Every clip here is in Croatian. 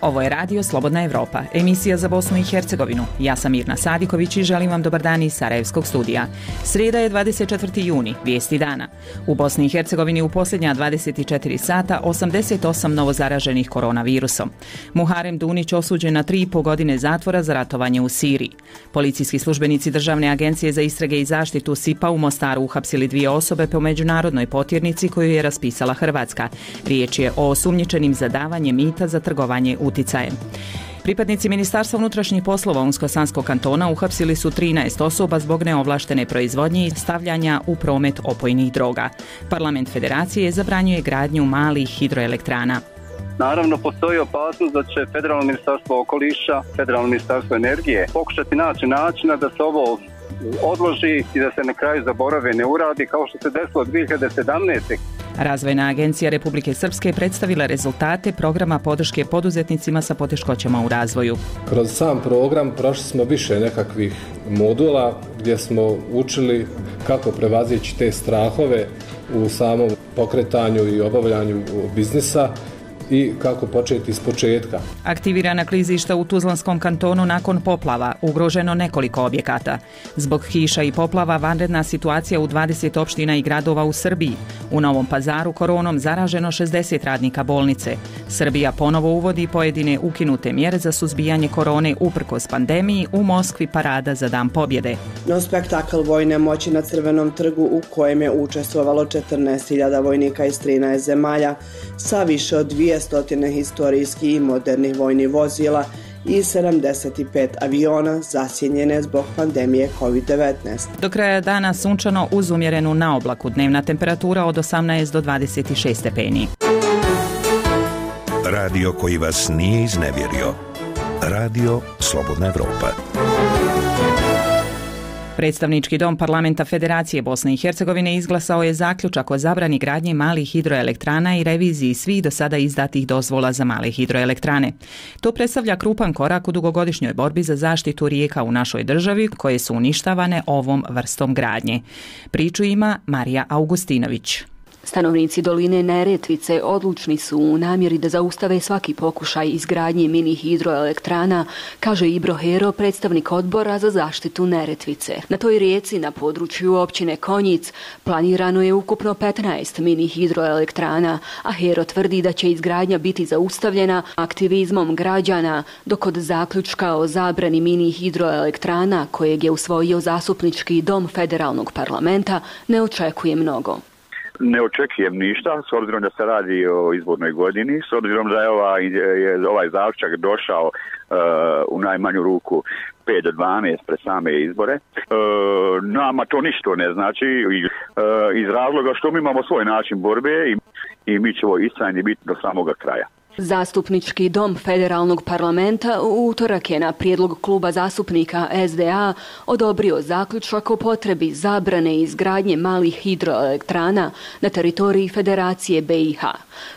Ovo je Radio Slobodna Evropa, emisija za Bosnu i Hercegovinu. Ja sam Mirna Sadiković i želim vam dobar dan iz Sarajevskog studija. Srijeda je 24. juni, vijesti dana. U Bosni i Hercegovini u posljednja 24 sata 88 novozaraženih koronavirusom. Muharem Dunić osuđen na 3,5 godine zatvora za ratovanje u Siriji. Policijski službenici Državne agencije za istrage i zaštitu SIPA u Mostaru uhapsili 2 osobe po međunarodnoj potjernici koju je raspisala Hrvatska. Riječ je o osumnjičenim za davanje mita za trgovanje uticajem. Pripadnici Ministarstva unutrašnjih poslova Unsko-Sanskog kantona uhapsili su 13 osoba zbog neovlaštene proizvodnje i stavljanja u promet opojnih droga. Parlament Federacije zabranjuje gradnju malih hidroelektrana. Naravno, postoji opasnost da će Federalno ministarstvo okoliša, Federalno ministarstvo energije pokušati naći načina da se ovo odloži i da se na kraju zaborave ne uradi kao što se desilo 2017. Razvojna agencija Republike Srpske predstavila rezultate programa podrške poduzetnicima sa poteškoćama u razvoju. Kroz sam program prošli smo više nekakvih modula gdje smo učili kako prevazići te strahove u samom pokretanju i obavljanju biznisa i kako početi iz početka. Aktivirana klizišta u Tuzlanskom kantonu nakon poplava, ugroženo nekoliko objekata. Zbog kiša i poplava vanredna situacija u 20 opština i gradova u Srbiji. U Novom Pazaru koronom zaraženo 60 radnika bolnice. Srbija ponovo uvodi pojedine ukinute mjere za suzbijanje korone uprkos pandemiji, u Moskvi parada za Dan pobjede. No spektakl vojne moći na Crvenom trgu u kojem je učestvovalo 14.000 vojnika iz 13 zemalja sa više od 200 historijskih i modernih vojnih vozila i 75 aviona zasjenjene zbog pandemije COVID-19. Do kraja dana sunčano uz umjerenu naoblaku, dnevna temperatura od 18 do 26 stepeni. Radio koji vas nije iznevjerio. Radio Slobodna Evropa. Predstavnički dom Parlamenta Federacije Bosne i Hercegovine izglasao je zaključak o zabrani gradnje malih hidroelektrana i reviziji svih do sada izdatih dozvola za male hidroelektrane. To predstavlja krupan korak u dugogodišnjoj borbi za zaštitu rijeka u našoj državi koje su uništavane ovom vrstom gradnje. Priču ima Marija Augustinović. Stanovnici doline Neretvice odlučni su u namjeri da zaustave svaki pokušaj izgradnje mini hidroelektrana, kaže Ibro Hero, predstavnik odbora za zaštitu Neretvice. Na toj rijeci na području općine Konjic planirano je ukupno 15 mini hidroelektrana, a Hero tvrdi da će izgradnja biti zaustavljena aktivizmom građana, dok od zaključka o zabrani mini hidroelektrana kojeg je usvojio zastupnički dom federalnog parlamenta ne očekuje mnogo. Ne očekujem ništa, s obzirom da se radi o izbornoj godini, s obzirom da je ovaj zaključak došao u najmanju ruku 5 do 12 pred same izbore. Nama to ništa ne znači iz razloga što mi imamo svoj način borbe i mi ćemo istrajni biti do samoga kraja. Zastupnički dom federalnog parlamenta u utorak je na prijedlog kluba zastupnika SDA odobrio zaključak o potrebi zabrane izgradnje malih hidroelektrana na teritoriji Federacije BiH.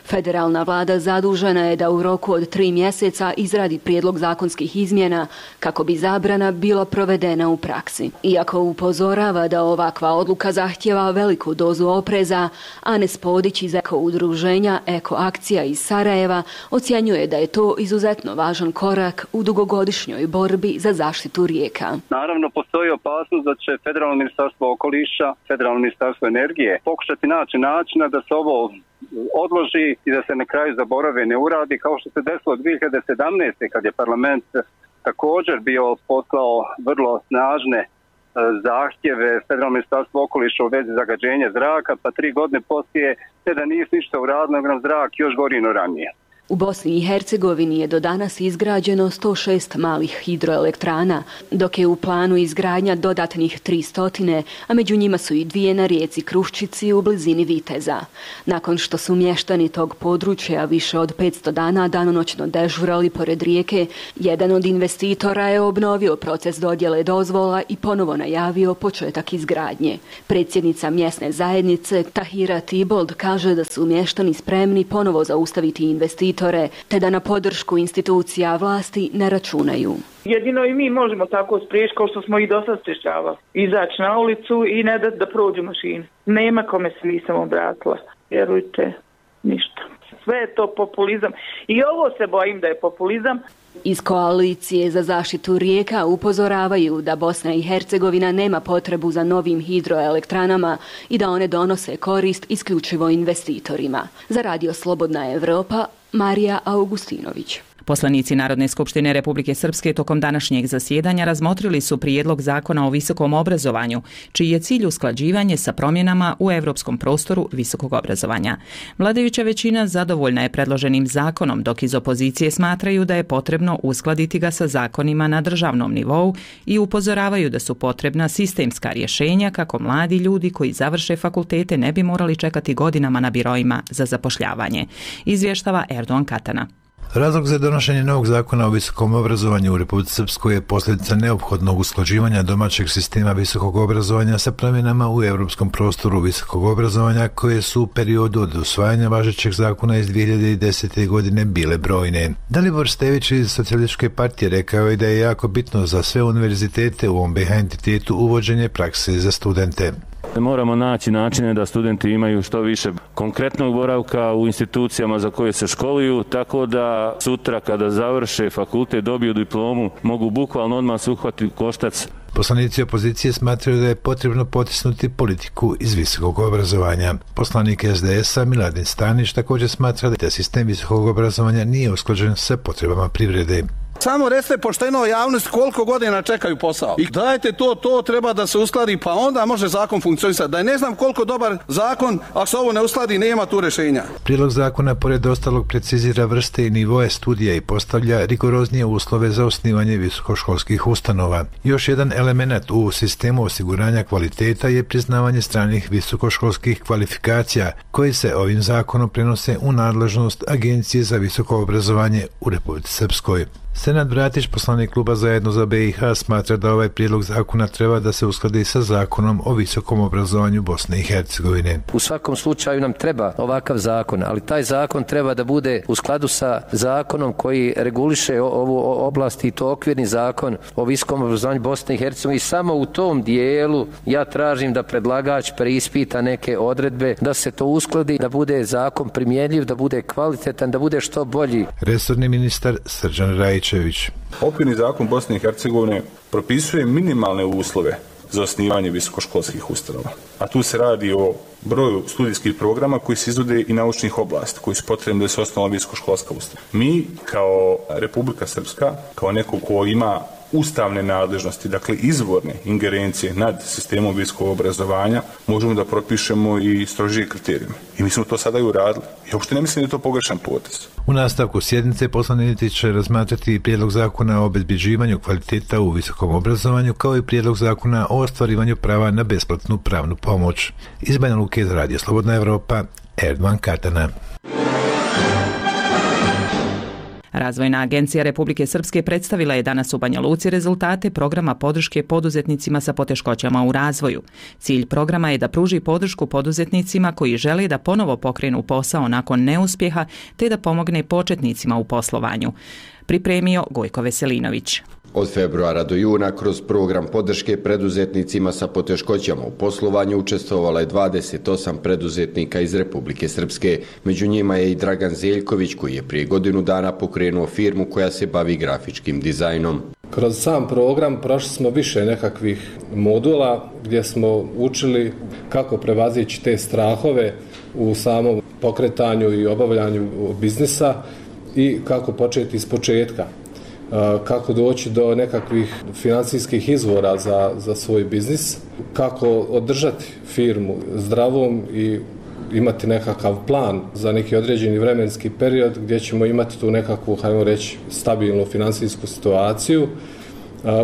Federalna vlada zadužena je da u roku od 3 mjeseca izradi prijedlog zakonskih izmjena kako bi zabrana bila provedena u praksi. Iako upozorava da ovakva odluka zahtjeva veliku dozu opreza, Anes Podić iz Eko udruženja Eko akcija iz Sarajeva ocjenjuje da je to izuzetno važan korak u dugogodišnjoj borbi za zaštitu rijeka. Naravno, postoji opasnost da će Federalno ministarstvo okoliša, Federalno ministarstvo energije pokušati naći načina da se ovo odloži i da se na kraju zaborave ne uradi kao što se desilo 2017. kad je parlament također bio poslao vrlo snažne zahtjeve Federalno ministarstvo okoliša u vezi zagađenja zraka, pa 3 godine poslije da nije ništa uradilo, nego nam zrak još gori no ranije. U Bosni i Hercegovini je do danas izgrađeno 106 malih hidroelektrana, dok je u planu izgradnja dodatnih 300, a među njima su i 2 na rijeci Kruščici u blizini Viteza. Nakon što su mještani tog područja više od 500 dana danonoćno dežurali pored rijeke, jedan od investitora je obnovio proces dodjele dozvola i ponovo najavio početak izgradnje. Predsjednica mjesne zajednice Tahira Tibold kaže da su mještani spremni ponovo zaustaviti investitore, te da na podršku institucija vlasti ne računaju. Jedino i mi možemo tako spriječiti kao što smo i dosad sprječavali. Izaći na ulicu i ne dati da prođu mašine. Nema kome se nisam obratila. Vjerujte, ništa. sve je to populizam. I ovo se bojim da je populizam. Iz koalicije za zaštitu rijeka upozoravaju da Bosna i Hercegovina nema potrebu za novim hidroelektranama i da one donose korist isključivo investitorima. Za Radio Slobodna Evropa, Marija Augustinović. Poslanici Narodne skupštine Republike Srpske tokom današnjeg zasjedanja razmotrili su prijedlog zakona o visokom obrazovanju, čiji je cilj usklađivanje sa promjenama u europskom prostoru visokog obrazovanja. Vladajuća većina zadovoljna je predloženim zakonom, dok iz opozicije smatraju da je potrebno uskladiti ga sa zakonima na državnom nivou i upozoravaju da su potrebna sistemska rješenja kako mladi ljudi koji završe fakultete ne bi morali čekati godinama na biroima za zapošljavanje. Izvještava Erdogan Katana. Razlog za donošenje novog zakona o visokom obrazovanju u Republici Srpskoj je posljedica neophodnog usklađivanja domaćeg sistema visokog obrazovanja sa promjenama u europskom prostoru visokog obrazovanja koje su u periodu od usvajanja važećeg zakona iz 2010. godine bile brojne. Dalibor Stević iz Socijalističke partije rekao je da je jako bitno za sve univerzitete u ovom BiH entitetu uvođenje prakse za studente. Moramo naći načine da studenti imaju što više konkretnog boravka u institucijama za koje se školuju, tako da sutra kada završe fakultet, dobiju diplomu, mogu bukvalno odmah se uhvatiti koštac. Poslanici opozicije smatraju da je potrebno potisnuti politiku iz visokog obrazovanja. Poslanik SDS-a Miladin Stanić također smatra da sistem visokog obrazovanja nije usklađen sa potrebama privrede. Samo recite pošteno javnosti koliko godina čekaju posao. I dajte to treba da se uskladi, pa onda može zakon funkcionisati. Da ne znam koliko dobar zakon, ako se ovo ne uskladi, nema tu rješenja. Prijedlog zakona pored ostalog precizira vrste i nivoe studija i postavlja rigoroznije uslove za osnivanje visokoškolskih ustanova. Još jedan element u sistemu osiguranja kvaliteta je priznavanje stranih visokoškolskih kvalifikacija, koji se ovim zakonom prenose u nadležnost Agencije za visoko obrazovanje u Republici Srpskoj. Senad Bratić, poslanik kluba Zajedno za BiH, smatra da ovaj prijedlog zakona treba da se uskladi sa zakonom o visokom obrazovanju Bosne i Hercegovine. U svakom slučaju nam treba ovakav zakon, ali taj zakon treba da bude u skladu sa zakonom koji reguliše ovu oblast i to okvirni zakon o visokom obrazovanju Bosne i Hercegovine. I samo u tom dijelu ja tražim da predlagač preispita neke odredbe, da se to uskladi, da bude zakon primjenjiv, da bude kvalitetan, da bude što bolji. Resorni ministar Srđan Rajić. Okvirni zakon Bosne i Hercegovine propisuje minimalne uslove za osnivanje visokoškolskih ustanova. A tu se radi o broju studijskih programa koji se izvode i naučnih oblasti, koji su potrebni da se osnova visokoškolska ustanova. Mi kao Republika Srpska, kao neko ko ima ustavne nadležnosti, dakle izvorne ingerencije nad sistemom visokog obrazovanja, možemo da propišemo i strožije kriterijume. I mi smo to sada i uradili. I uopšte ne mislim da je to pogrešan potez. U nastavku sjednice poslanici će razmatrati i prijedlog zakona o obezbeđivanju kvaliteta u visokom obrazovanju, kao i prijedlog zakona o ostvarivanju prava na besplatnu pravnu pomoć. Iz Banja Luke za Radio Slobodna Evropa, Erdogan Katana. Razvojna agencija Republike Srpske predstavila je danas u Banja Luci rezultate programa podrške poduzetnicima sa poteškoćama u razvoju. Cilj programa je da pruži podršku poduzetnicima koji žele da ponovo pokrenu posao nakon neuspjeha te da pomogne početnicima u poslovanju. Pripremio Gojko Veselinović. Od februara do juna kroz program podrške preduzetnicima sa poteškoćama u poslovanju učestvovala je 28 preduzetnika iz Republike Srpske. Među njima je i Dragan Zeljković koji je prije godinu dana pokrenuo firmu koja se bavi grafičkim dizajnom. Kroz sam program prošli smo više nekakvih modula gdje smo učili kako prevazići te strahove u samom pokretanju i obavljanju biznisa i kako početi iz početka. Kako doći do nekakvih financijskih izvora za svoj biznis, kako održati firmu zdravom i imati nekakav plan za neki određeni vremenski period gdje ćemo imati tu nekakvu, hajmo reći, stabilnu financijsku situaciju.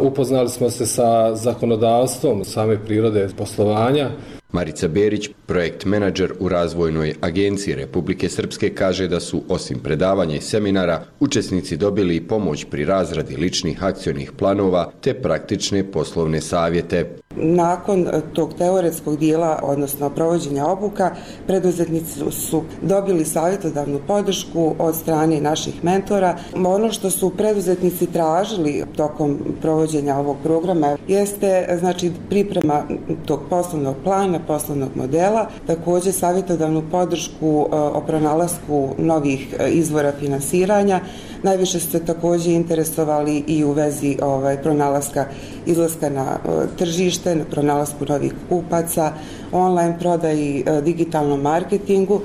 Upoznali smo se sa zakonodavstvom same prirode poslovanja. Marica Berić, projekt menadžer u Razvojnoj agenciji Republike Srpske, kaže da su osim predavanja i seminara učesnici dobili i pomoć pri razradi ličnih akcionih planova te praktične poslovne savjete. Nakon tog teoretskog dijela, odnosno provođenja obuka, preduzetnici su dobili savjetodavnu podršku od strane naših mentora. Ono što su preduzetnici tražili tokom provođenja ovog programa jeste znači priprema tog poslovnog plana, poslovnog modela, također savjetodavnu podršku o pronalasku novih izvora finansiranja. Najviše su se također interesovali i u vezi pronalaska izlaska na tržište, na pronalasku novih kupaca, online prodaji, digitalnom marketingu,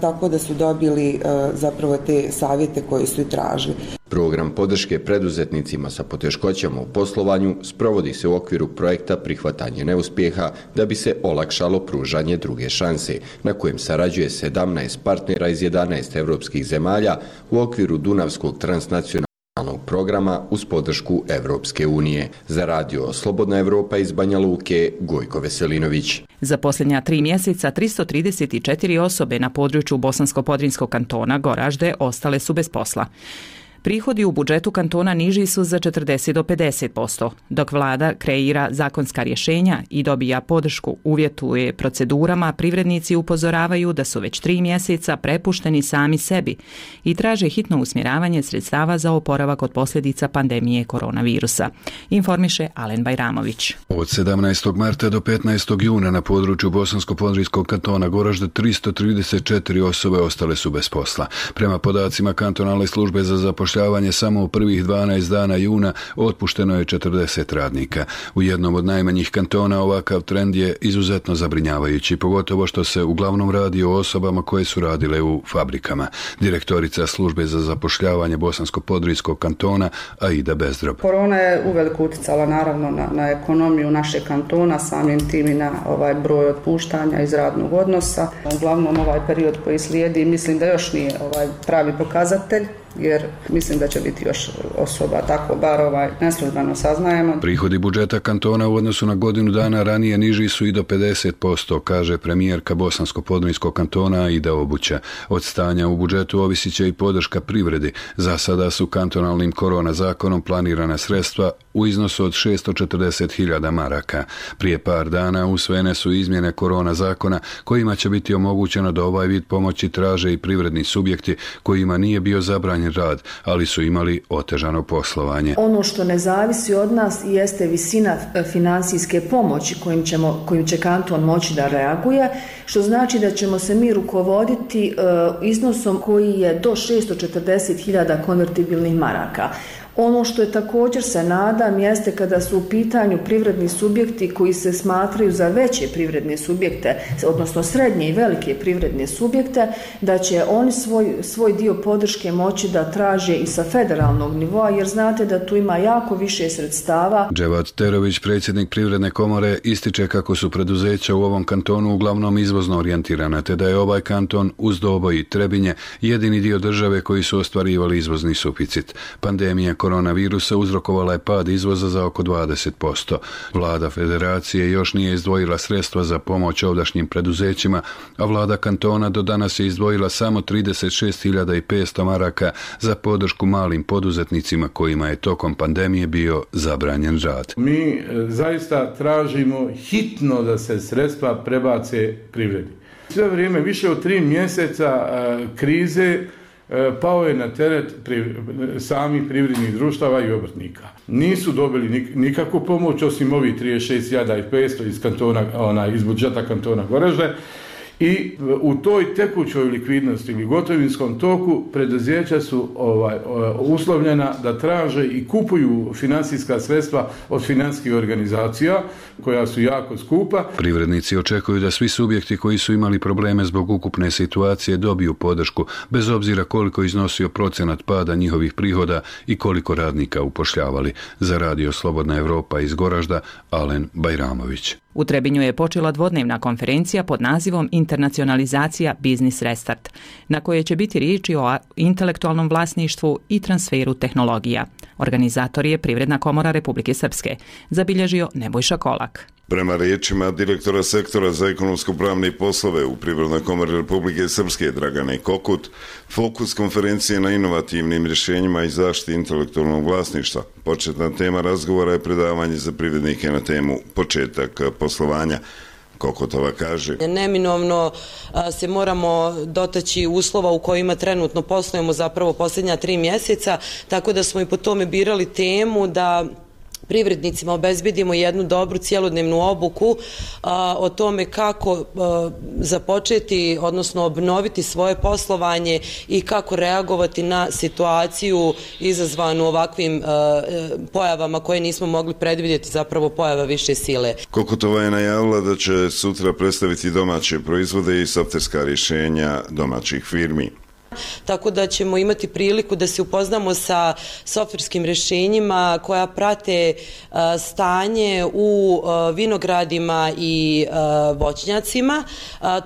tako da su dobili zapravo te savjete koje su i tražili. Program podrške preduzetnicima sa poteškoćama u poslovanju sprovodi se u okviru projekta Prihvatanje neuspjeha da bi se olakšalo pružanje druge šanse, na kojem sarađuje 17 partnera iz 11 evropskih zemalja u okviru Dunavskog transnacionalnog programa uz podršku Evropske unije. Za radio Slobodna Evropa iz Banja Luke, Gojko Veselinović. Za posljednja 3 mjeseca 334 osobe na području Bosansko-Podrinjskog kantona Goražde ostale su bez posla. Prihodi u budžetu kantona niži su za 40 do 50%, dok vlada kreira zakonska rješenja i dobija podršku, uvjetuje procedurama, privrednici upozoravaju da su već 3 mjeseca prepušteni sami sebi i traže hitno usmjeravanje sredstava za oporavak od posljedica pandemije koronavirusa, informiše Alen Bajramović. Od 17. marta do 15. juna na području Bosansko-Podrinjskog kantona Goražde 334 osobe ostale su bez posla. Prema podacima kantonalne službe za zapošljavanje, samo u prvih 12 dana juna otpušteno je 40 radnika. U jednom od najmanjih kantona ovakav trend je izuzetno zabrinjavajući, pogotovo što se uglavnom radi o osobama koje su radile u fabrikama. Direktorica službe za zapošljavanje Bosansko-Podrinjskog kantona Aida Bezdrob. Korona je uveliko utjecala naravno na ekonomiju našeg kantona, samim tim i na broj otpuštanja iz radnog odnosa. Uglavnom ovaj period koji slijedi mislim da još nije pravi pokazatelj, jer mislim da će biti još osoba, tako bar neslužbeno saznajemo. Prihodi budžeta kantona u odnosu na godinu dana ranije niži su i do 50%, kaže premijerka Bosansko-Podrinjskog kantona Aida Obuća. Od stanja u budžetu ovisit će i podrška privredi. Za sada su kantonalnim korona zakonom planirana sredstva u iznosu od 640.000 maraka. Prije par dana usvojene su izmjene korona zakona kojima će biti omogućeno da ovaj vid pomoći traže i privredni subjekti kojima nije bio zabranjen rad, ali su imali otežano poslovanje. Ono što ne zavisi od nas jeste visina financijske pomoći kojim će kanton moći da reaguje, što znači da ćemo se mi rukovoditi iznosom koji je do 640.000 konvertibilnih maraka. Ono što je također se nadam jeste kada su u pitanju privredni subjekti koji se smatraju za veće privredne subjekte, odnosno srednje i velike privredne subjekte, da će oni svoj dio podrške moći da traže i sa federalnog nivoa, jer znate da tu ima jako više sredstava. Dževat Terović, predsjednik Privredne komore, ističe kako su preduzeća u ovom kantonu uglavnom izvozno orijentirana, te da je ovaj kanton uz Doboj i Trebinje jedini dio države koji su ostvarivali izvozni suficit. Pandemija koronavirusa uzrokovala je pad izvoza za oko 20%. Vlada federacije još nije izdvojila sredstva za pomoć ovdašnjim preduzećima, a vlada kantona do danas je izdvojila samo 36.500 maraka za podršku malim poduzetnicima kojima je tokom pandemije bio zabranjen rad. Mi zaista tražimo hitno da se sredstva prebace privredi. Sve vrijeme, više od 3 mjeseca krize, pao je na teret samih privrednih društava i obrtnika. Nisu dobili nikakvu pomoć osim ovih 36.500 iz kantona, iz budžeta kantona Goražde. I u toj tekućoj likvidnosti ili gotovinskom toku preduzeća su uslovljena da traže i kupuju financijska sredstva od financijskih organizacija koja su jako skupa. Privrednici očekuju da svi subjekti koji su imali probleme zbog ukupne situacije dobiju podršku, bez obzira koliko iznosio procenat pada njihovih prihoda i koliko radnika upošljavali. Za radio Slobodna Evropa iz Goražda, Alen Bajramović. U Trebinju je počela dvodnevna konferencija pod nazivom Internacionalizacija Biznis Restart, na kojoj će biti riječi o intelektualnom vlasništvu i transferu tehnologija. Organizator je Privredna komora Republike Srpske, zabilježio Nebojša Kolak. Prema riječima direktora sektora za ekonomsko-pravne poslove u Privrednoj komori Republike Srpske Dragane Kokut, fokus konferencije na inovativnim rješenjima i zaštiti intelektualnog vlasništva. Početna tema razgovora je predavanje za privrednike na temu početak poslovanja. Kokotova kaže: Neminovno se moramo dotaći uslova u kojima trenutno poslujemo zapravo posljednja 3 mjeseca, tako da smo i po tome birali temu da privrednicima obezbedimo jednu dobru cjelodnevnu obuku o tome kako započeti, odnosno obnoviti svoje poslovanje i kako reagovati na situaciju izazvanu ovakvim pojavama koje nismo mogli predvidjeti, zapravo pojava više sile. Kokotova je najavila da će sutra predstaviti domaće proizvode i softverska rješenja domaćih firmi. Tako da ćemo imati priliku da se upoznamo sa softverskim rješenjima koja prate stanje u vinogradima i voćnjacima.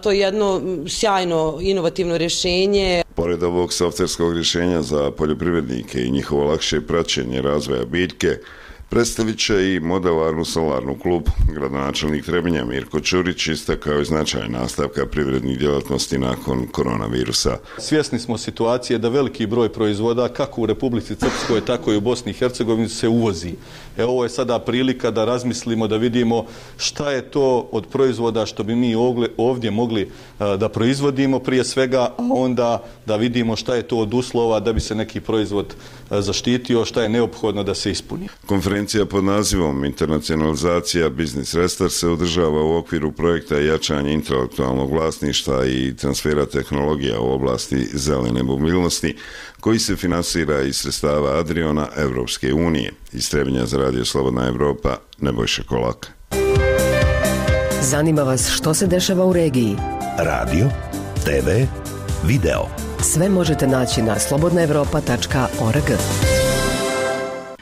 To je jedno sjajno inovativno rješenje. Pored ovog softverskog rješenja za poljoprivrednike i njihovo lakše praćenje razvoja biljke, predstavit će i modelarnu solarnu klub. Gradonačelnik Trebinja Mirko Ćurić istakao je značaj nastavka privrednih djelatnosti nakon koronavirusa. Svjesni smo situacije da veliki broj proizvoda kako u Republici Srpskoj tako i u Bosni i Hercegovini se uvozi. Ovo je sada prilika da razmislimo, da vidimo šta je to od proizvoda što bi mi ovdje mogli da proizvodimo prije svega, a onda da vidimo šta je to od uslova da bi se neki proizvod zaštitio, šta je neophodno da se ispuni. Konferencija pod nazivom Internacionalizacija Business Restart se održava u okviru projekta jačanje intelektualnog vlasništva i transfera tehnologija u oblasti zelene mobilnosti, koji se finansira iz sredstava Adriona Evropske unije. Iz Trebinja za Radio Slobodna Evropa, Nebojša Kolak. Zanima vas što se dešava u regiji? Radio, TV, video. Sve možete naći na slobodnaevropa.org.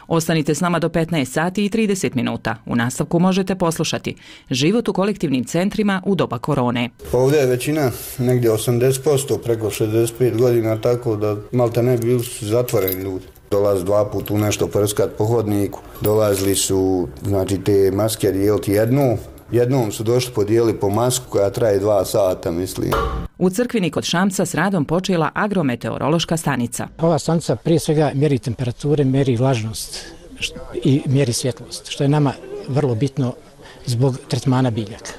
Ostanite s nama do 15 sati i 30 minuta. U nastavku možete poslušati život u kolektivnim centrima u doba korone. Ovdje je većina negdje 80%, preko 65 godina, tako da malte ne bili su zatvoreni ljudi. Dolazi 2 puta u nešto prskat po hodniku. Dolazili su, znači, te maske dijeliti jednom su došli podijeli po masku koja traje 2 sata, mislim. U Crkvini kod Šamca s radom počela agrometeorološka stanica. Ova stanica prije svega mjeri temperature, mjeri vlažnost i mjeri svjetlost, što je nama vrlo bitno zbog tretmana biljaka.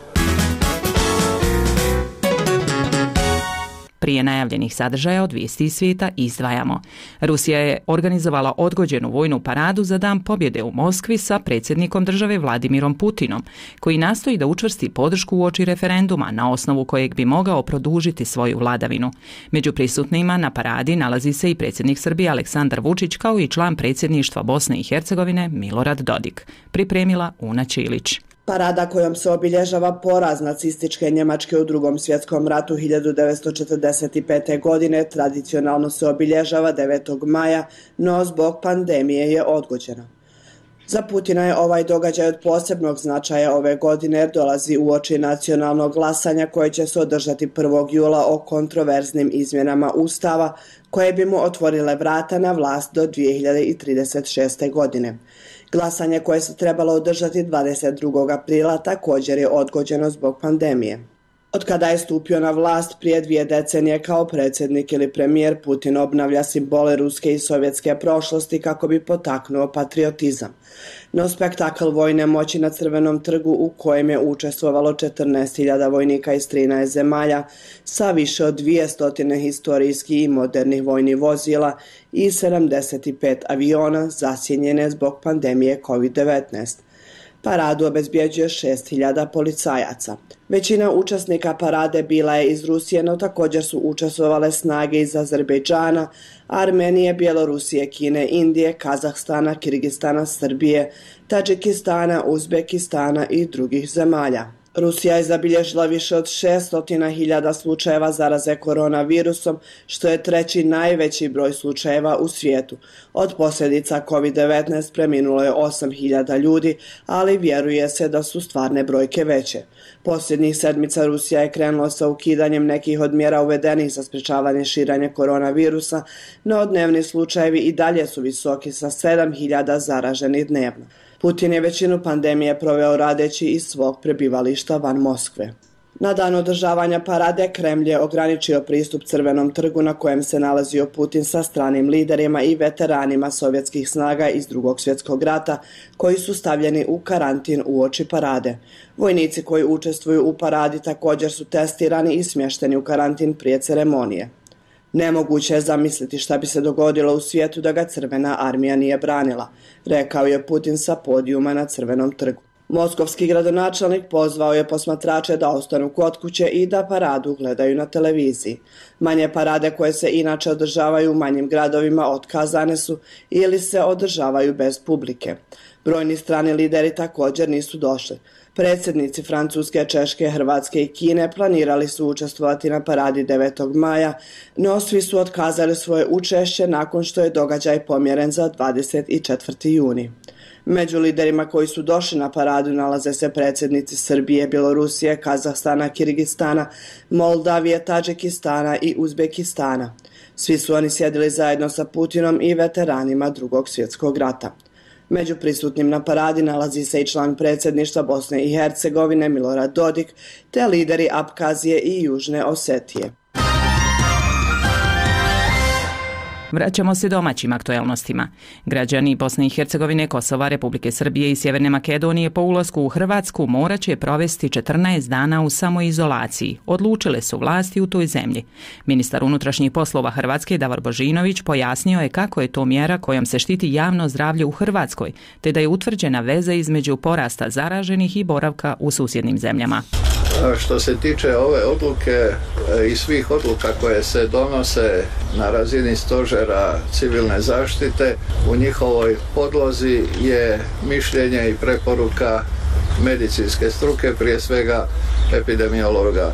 Prije najavljenih sadržaja od vijesti iz svijeta izdvajamo. Rusija je organizovala odgođenu vojnu paradu za Dan pobjede u Moskvi sa predsjednikom države Vladimirom Putinom, koji nastoji da učvrsti podršku uoči referenduma na osnovu kojeg bi mogao produžiti svoju vladavinu. Među prisutnima na paradi nalazi se i predsjednik Srbije Aleksandar Vučić, kao i član predsjedništva Bosne i Hercegovine Milorad Dodik. Pripremila Una Čilić. Parada kojom se obilježava poraz nacističke Njemačke u Drugom svjetskom ratu 1945. godine tradicionalno se obilježava 9. maja, no zbog pandemije je odgođena. Za Putina je ovaj događaj od posebnog značaja ove godine jer dolazi uoči nacionalnog glasanja koje će se održati 1. jula o kontroverznim izmjenama Ustava koje bi mu otvorile vrata na vlast do 2036. godine. Glasanje koje se trebalo održati 22. aprila također je odgođeno zbog pandemije. Od kada je stupio na vlast prije 2 decenije kao predsjednik ili premijer, Putin obnavlja simbole ruske i sovjetske prošlosti kako bi potaknuo patriotizam. No spektakl vojne moći na Crvenom trgu u kojem je učestvovalo 14.000 vojnika iz 13 zemalja sa više od 200 historijskih i modernih vojnih vozila i 75 aviona zasjenjene zbog pandemije COVID-19. Paradu obezbjeđuje 6.000 policajaca. Većina učesnika parade bila je iz Rusije, no također su učestvovale snage iz Azerbejdžana, Armenije, Bjelorusije, Kine, Indije, Kazahstana, Kirgistana, Srbije, Tadžikistana, Uzbekistana i drugih zemalja. Rusija je zabilježila više od 600.000 slučajeva zaraze koronavirusom, što je 3. najveći broj slučajeva u svijetu. Od posljedica COVID-19 preminulo je 8.000 ljudi, ali vjeruje se da su stvarne brojke veće. Posljednjih sedmica Rusija je krenula sa ukidanjem nekih od mjera uvedenih za sprečavanje širenja koronavirusa, no dnevni slučajevi i dalje su visoki sa 7.000 zaraženih dnevno. Putin je većinu pandemije proveo radeći iz svog prebivališta van Moskve. Na dan održavanja parade Kremlj je ograničio pristup Crvenom trgu na kojem se nalazio Putin sa stranim liderima i veteranima sovjetskih snaga iz Drugog svjetskog rata koji su stavljeni u karantin uoči parade. Vojnici koji učestvuju u paradi također su testirani i smješteni u karantin prije ceremonije. Nemoguće je zamisliti šta bi se dogodilo u svijetu da ga Crvena armija nije branila, rekao je Putin sa podijuma na Crvenom trgu. Moskovski gradonačelnik pozvao je posmatrače da ostanu kod kuće i da paradu gledaju na televiziji. Manje parade koje se inače održavaju u manjim gradovima otkazane su ili se održavaju bez publike. Brojni strani lideri također nisu došli. Predsjednici Francuske, Češke, Hrvatske i Kine planirali su učestvovati na paradi 9. maja, no svi su otkazali svoje učešće nakon što je događaj pomjeren za 24. juni. Među liderima koji su došli na paradu nalaze se predsjednici Srbije, Bjelorusije, Kazahstana, Kirgistana, Moldavije, Tadžikistana i Uzbekistana. Svi su oni sjedili zajedno sa Putinom i veteranima Drugog svjetskog rata. Među prisutnim na paradi nalazi se i član predsjedništva Bosne i Hercegovine Milorad Dodik, te lideri Apkazije i Južne Osetije. Vraćamo se domaćim aktuelnostima. Građani Bosne i Hercegovine, Kosova, Republike Srbije i Sjeverne Makedonije po ulasku u Hrvatsku morat će provesti 14 dana u samoizolaciji, odlučile su vlasti u toj zemlji. Ministar unutrašnjih poslova Hrvatske Davor Božinović pojasnio je kako je to mjera kojom se štiti javno zdravlje u Hrvatskoj, te da je utvrđena veza između porasta zaraženih i boravka u susjednim zemljama. Što se tiče ove odluke i svih odluka koje se donose na razini stožera civilne zaštite, u njihovoj podlozi je mišljenje i preporuka medicinske struke, prije svega epidemiologa.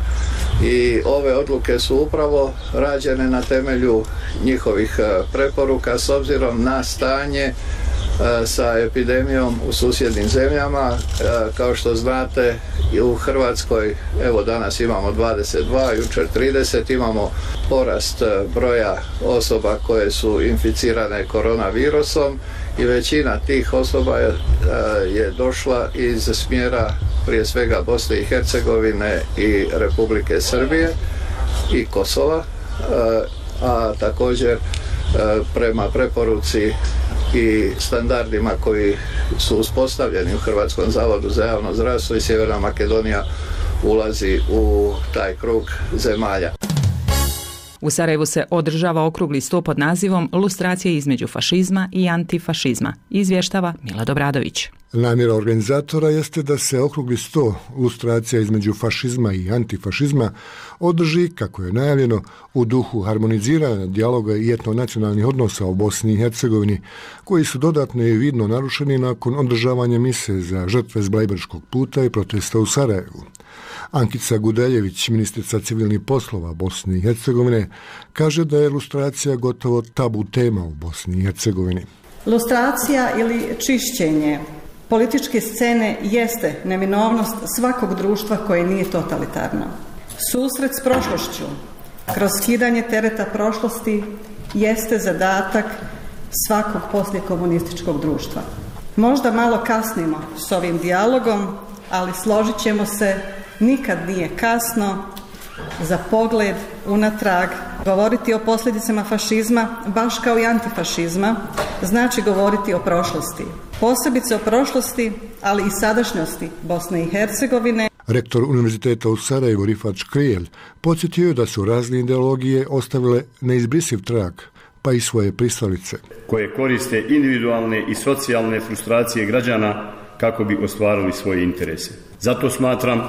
I ove odluke su upravo rađene na temelju njihovih preporuka s obzirom na stanje sa epidemijom u susjednim zemljama. Kao što znate, i u Hrvatskoj, evo danas imamo 22, jučer 30, imamo porast broja osoba koje su inficirane koronavirusom i većina tih osoba je došla iz smjera prije svega Bosne i Hercegovine i Republike Srbije i Kosova, a također prema preporuci i standardima koji su uspostavljeni u Hrvatskom zavodu za javno zdravstvo i Sjeverna Makedonija ulazi u taj krug zemalja. U Sarajevu se održava okrugli sto pod nazivom Lustracija između fašizma i antifašizma, izvještava Milad Obradović. Namjera organizatora jeste da se okrugli sto lustracija između fašizma i antifašizma održi, kako je najavljeno, u duhu harmoniziranja dijaloga i etno-nacionalnih odnosa u Bosni i Hercegovini, koji su dodatno i vidno narušeni nakon održavanja mise za žrtve s Blajburškog puta i protesta u Sarajevu. Ankica Gudeljević, ministrica civilnih poslova Bosne i Hercegovine, kaže da je lustracija gotovo tabu tema u Bosni i Hercegovini. Lustracija ili čišćenje političke scene jeste neminovnost svakog društva koje nije totalitarno. Susret s prošlošću kroz skidanje tereta prošlosti jeste zadatak svakog posljekomunističkog društva. Možda malo kasnimo s ovim dijalogom, ali složit ćemo se, nikad nije kasno za pogled unatrag. Govoriti o posljedicama fašizma, baš kao i antifašizma, znači govoriti o prošlosti. Posebice o prošlosti, ali i sadašnjosti Bosne i Hercegovine. Rektor Univerziteta u Sarajevu Rifat Škrijel podsjetio da su razne ideologije ostavile neizbrisiv trag, pa i svoje pristalice, koje koriste individualne i socijalne frustracije građana kako bi ostvarili svoje interese. Zato smatram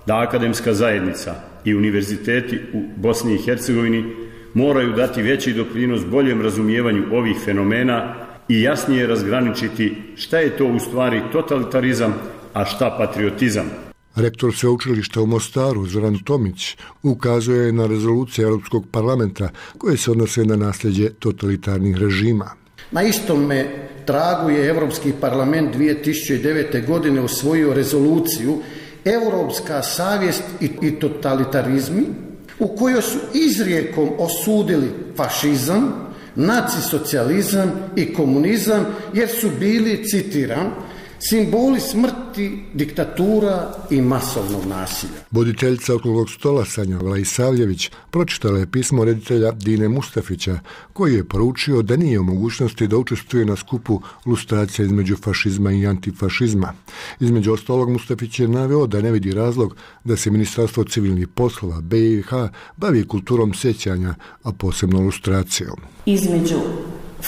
da akademska zajednica i univerziteti u Bosni i Hercegovini moraju dati veći doprinos boljem razumijevanju ovih fenomena i jasnije razgraničiti šta je to u stvari totalitarizam, a šta patriotizam. Rektor sveučilišta u Mostaru Zoran Tomić ukazuje na rezolucije Europskog parlamenta koje se odnose na nasljeđe totalitarnih režima. Na istome tragu je Europski parlament 2009. godine usvojio rezoluciju Europska savjest i totalitarizmi, u kojoj su izrijekom osudili fašizam, nacisocijalizam i komunizam, jer su bili, citiram, simboli smrti, diktatura i masovnog nasilja. Voditeljica okruglog stola Sanja Vlaisavljević pročitala je pismo reditelja Dine Mustafića, koji je poručio da nije u mogućnosti da učestvuje na skupu lustracija između fašizma i antifašizma. Između ostalog, Mustafić je naveo da ne vidi razlog da se Ministarstvo civilnih poslova BiH bavi kulturom sjećanja, a posebno lustracijom. Između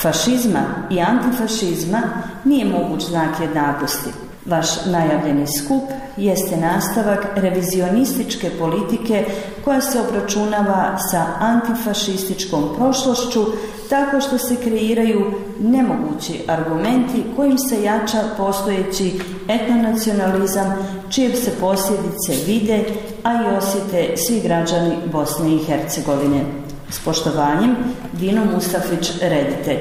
fašizma i antifašizma nije moguć znak jednakosti. Vaš najavljeni skup jeste nastavak revizionističke politike koja se obračunava sa antifašističkom prošlošću tako što se kreiraju nemogući argumenti kojim se jača postojeći etnonacionalizam čije se posljedice vide, a i osjete svi građani Bosne i Hercegovine. S poštovanjem, Dino Mustafić, reditelj.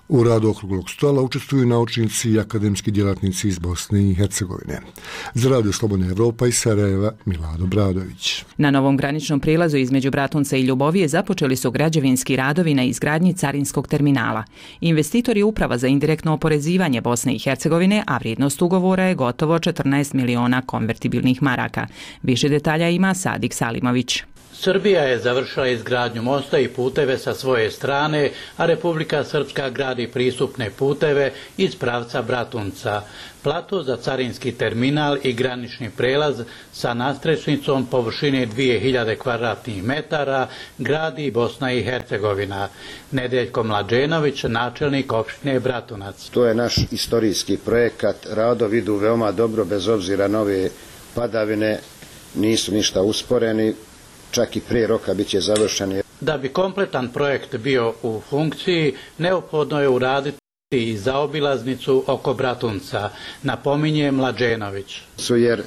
U radu okruglog stola učestvuju naučnici i akademski djelatnici iz Bosne i Hercegovine. Za Radio Slobodna Evropa iz Sarajeva, Milado Bradović. Na novom graničnom prilazu između Bratunca i Ljubovije započeli su građevinski radovi na izgradnji carinskog terminala. Investitor je Uprava za indirektno oporezivanje Bosne i Hercegovine, a vrijednost ugovora je gotovo 14 miliona konvertibilnih maraka. Više detalja ima Sadik Salimović. Srbija je završila izgradnju mosta i puteve sa svoje strane, a Republika Srpska gradi pristupne puteve iz pravca Bratunca. Plato za carinski terminal i granični prelaz sa nadstrešnicom površine 2000 kvadratnih metara gradi Bosna i Hercegovina. Nedeljko Mlađenović, načelnik opštine Bratunac. To je naš istorijski projekat. Radovi idu veoma dobro, bez obzira na ove padavine, nisu ništa usporeni. Čak i prije roka bit će završeni. Da bi kompletan projekt bio u funkciji, neophodno je uraditi i zaobilaznicu oko Bratunca, napominje Mlađenović. Jer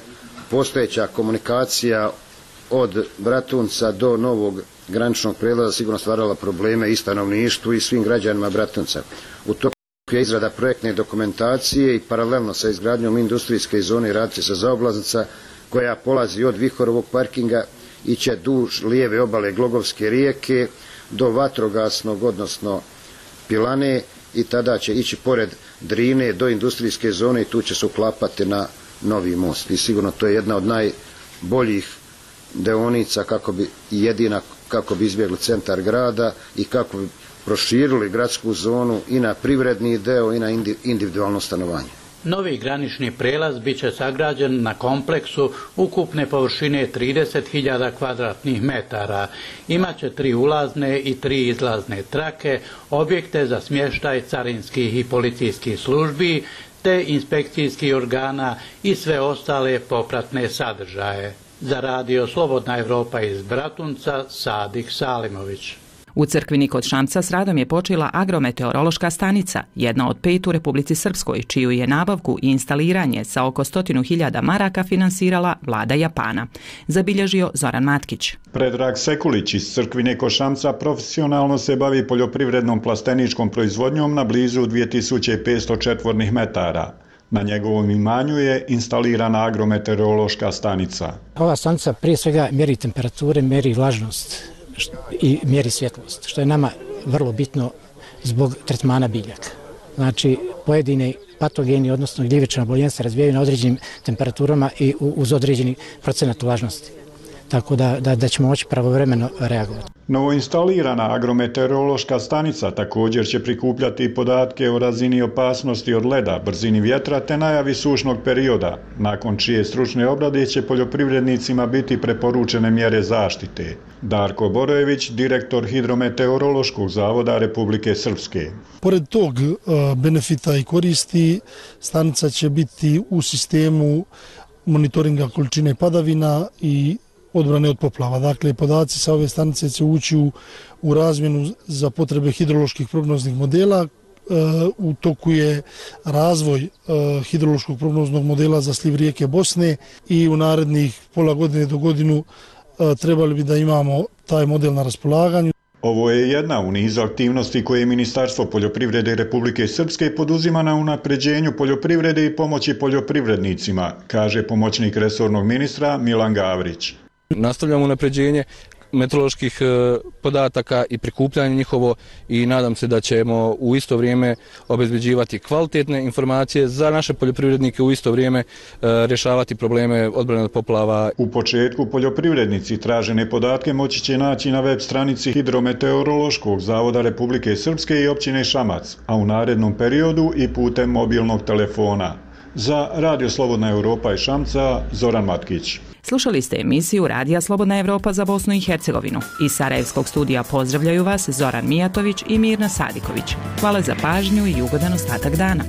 postojeća komunikacija od Bratunca do novog graničnog prelaza sigurno stvarala probleme i stanovništvu i svim građanima Bratunca. U toku je izrada projektne dokumentacije i paralelno sa izgradnjom industrijske zone raditi se zaobilaznica koja polazi od Vihorovog parkinga iće duž lijeve obale Glogovske rijeke do Vatrogasnog, odnosno Pilane, i tada će ići pored Drine do industrijske zone i tu će se uklapati na novi most. I sigurno to je jedna od najboljih deonica jedina kako bi izbjegli centar grada i kako bi proširili gradsku zonu i na privredni deo i na individualno stanovanje. Novi granični prelaz bit će sagrađen na kompleksu ukupne površine 30.000 kvadratnih metara. Imaće 3 ulazne i 3 izlazne trake, objekte za smještaj carinskih i policijskih službi, te inspekcijskih organa i sve ostale popratne sadržaje. Za Radio Slobodna Evropa iz Bratunca, Sadik Salimović. U Crkvini kod Šamca s radom je počela agrometeorološka stanica, jedna od 5 u Republici Srpskoj, čiju je nabavku i instaliranje sa oko 100.000 maraka finansirala vlada Japana. Zabilježio Zoran Matkić. Predrag Sekulić iz Crkvine kod Šamca profesionalno se bavi poljoprivrednom plasteničkom proizvodnjom na blizu 2500 četvornih metara. Na njegovom imanju je instalirana agrometeorološka stanica. Ova stanica prije svega mjeri temperature, mjeri vlažnost i mjeri svjetlost, što je nama vrlo bitno zbog tretmana biljaka. Znači, pojedini patogeni, odnosno gljivična oboljenja se razvijaju na određenim temperaturama i uz određeni procenat vlažnosti. Tako da ćemo moći pravovremeno reagovati. Novoinstalirana agrometeorološka stanica također će prikupljati podatke o razini opasnosti od leda, brzini vjetra te najavi sušnog perioda, nakon čije stručne obrade će poljoprivrednicima biti preporučene mjere zaštite. Darko Borojević, direktor Hidrometeorološkog zavoda Republike Srpske. Pored tog benefita i koristi, stanica će biti u sistemu monitoringa količine padavina i odbrane od poplava. Dakle, podaci sa ove stanice će ući u razmjenu za potrebe hidroloških prognoznih modela. U toku je razvoj hidrološkog prognoznog modela za sliv rijeke Bosne i u narednih pola godine do godinu trebali bi da imamo taj model na raspolaganju. Ovo je jedna u nizu aktivnosti koje Ministarstvo poljoprivrede Republike Srpske poduzima na unapređenju poljoprivrede i pomoći poljoprivrednicima, kaže pomoćnik resornog ministra Milan Gavrić. Nastavljamo unapređenje meteoroloških podataka i prikupljanje njihovo i nadam se da ćemo u isto vrijeme obezbeđivati kvalitetne informacije za naše poljoprivrednike, u isto vrijeme rješavati probleme odbrane od poplava. U početku poljoprivrednici tražene podatke moći će naći na web stranici Hidrometeorološkog zavoda Republike Srpske i općine Šamac, a u narednom periodu i putem mobilnog telefona. Za Radio Slobodna Europa iz Šamca, Zoran Matkić. Slušali ste emisiju Radija Slobodna Evropa za Bosnu i Hercegovinu. Iz Sarajevskog studija pozdravljaju vas Zoran Mijatović i Mirna Sadiković. Hvala za pažnju i ugodan ostatak dana.